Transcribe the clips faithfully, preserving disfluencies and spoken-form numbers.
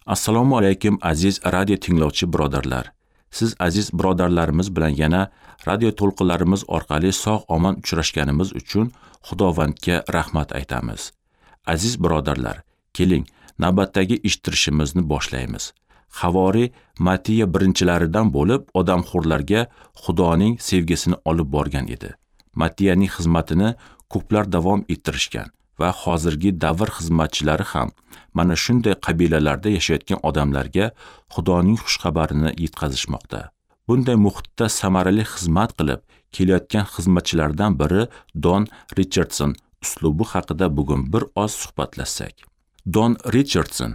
Assalomu alaykum aziz radio tinglovchi birodarlar. Siz aziz birodarlarimiz bilan yana radio to'lqinlarimiz orqali sog' omon uchrashganimiz uchun Xudovandga rahmat aytamiz. Aziz birodarlar, keling, navbatdagi eshittirishimizni boshlaymiz. Havori Matiya birinchilaridan bo'lib odamxo'rlarga Xudoning sevgisini olib borgan edi. Matiyaning xizmatini ko'plar davom ettirishgan va hozirgi davr xizmatchilari ham mana shunday qabilalarda yashayotgan odamlarga Xudoning xushxabarini yetkazishmoqda. Bunday muhitda samarali xizmat qilib kelayotgan xizmatchilardan biri Don Richardson uslubi haqida bugun bir oz suhbatlashsak. Don Richardson,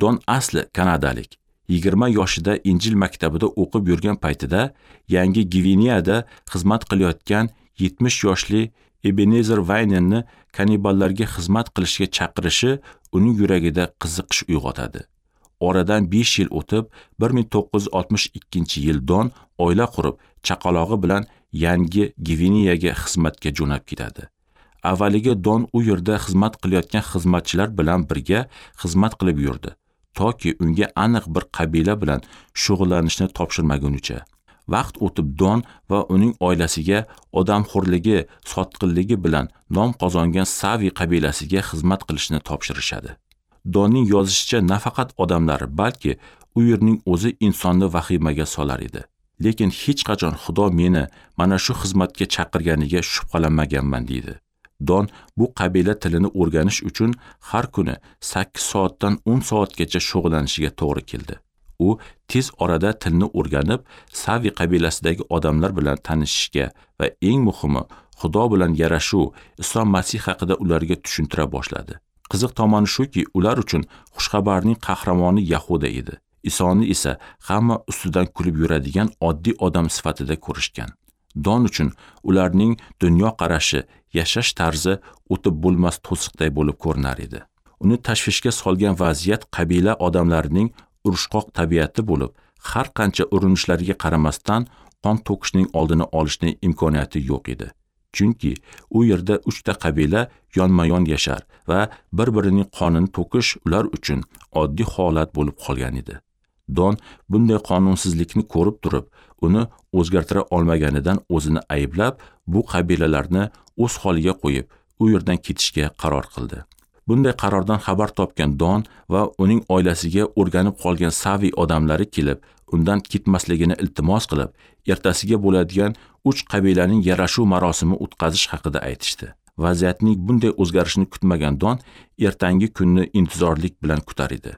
Don asli kanadalik. yigirma yoshida Injil maktabida o'qib yurgan paytida Yangi Gvineyada xizmat qilayotgan yetmish yoshli Ebenezer Vaynenni kanniballarga xizmat qilishga chaqirishi uning yuragida qiziqish uyg'otadi. Oradan besh yil o'tib, bir ming to'qqiz yuz oltmish ikkinchi yil Don oila qurib, chaqalog'i bilan Yangi Gvineyaga xizmatga jo'nab ketadi. Avvaliga Don u yerda xizmat qilayotgan xizmatchilar bilan birga xizmat qilib yurdi, toki unga aniq bir qabila bilan shug'ullanishni topshirmagunicha. Vaqt o'tib Don va uning oilasiga odamxo'rligi, sotqinligi bilan nom qozongan Savi qabilasiga xizmat qilishni topshirishadi. Donning yozishicha, nafaqat odamlar, balki u yerning o'zi insonni vahimaga solar edi. Lekin hech qachon Xudo meni mana shu xizmatga chaqirganiga shubhalanmaganman, deydi. Don bu qabila tilini o'rganish uchun har kuni sakkiz soatdan o'n soatgacha shug'ullanishiga to'g'ri keldi. U tez orada tilni o'rganib, Savi qabilasidagi odamlar bilan tanishishga va eng muhimi, Xudo bilan yarashuv, Iso Masih haqida ularga tushuntira boshladi. Qiziq tomoni shuki, ular uchun xushxabarning qahramoni Yahuda edi. Isoni esa hamma ustidan kulib yuradigan oddiy odam sifatida ko'rishgan. Don uchun ularning dunyoqarashi, yashash tarzi o'tib bo'lmas to'siqday bo'lib ko'rinar edi. Uni tashvishga solgan vaziyat qabila odamlarining urushqoq tabiati bo'lib, har qancha urinishlariga qaramasdan qon to'kishning oldini olishning imkoniyati yo'q edi. Chunki u yerda uchta qabila yonma-yon yashar va bir-birining qonini to'kish ular uchun oddiy holat bo'lib qolgan edi. Don bunday qonunsizlikni ko'rib turib, uni o'zgartira olmaganidan o'zini ayblab, bu qabilalarni o'z holiga qo'yib, u yerdan ketishga qaror qildi. Bunday qarordan xabar topgan Don va uning oilasiga o'rganib qolgan Savi odamlari kelib, undan ketmasligini iltimos qilib, ertasiga bo'ladigan uch qabilaning yarashuv marosimi o'tkazish haqida aytishdi. Vaziyatning bunday o'zgarishini kutmagan Don ertangi kunni intizorlik bilan kutar edi.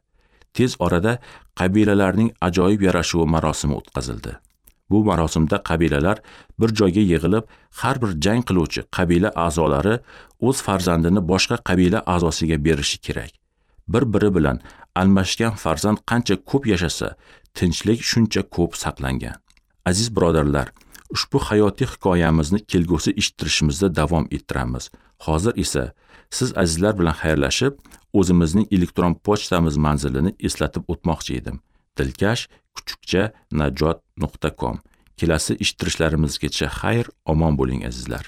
Tez orada qabilalarning ajoyib yarashuvi marosimi o'tkazildi. Bu marosimda qabilalar bir joyga yig'ilib, har bir jang qiluvchi qabila a'zolari o'z farzandini boshqa qabila a'zosiga berishi kerak. Bir-biri bilan almashgan farzand qancha ko'p yashasa, tinchlik shuncha ko'p saqlangan. Aziz birodarlar, ushbu hayotiy hikoyamizni kelgusi eshittirishimizda davom ettiramiz. Hozir esa siz azizlar bilan xayrlashib, o'zimizning elektron pochtamiz manzilini eslatib o'tmoqchi edim. Dilkash kuchukcha najot nuqta com. Kelasi eshittirishlarimizgacha xayr, omon bo'ling azizlar.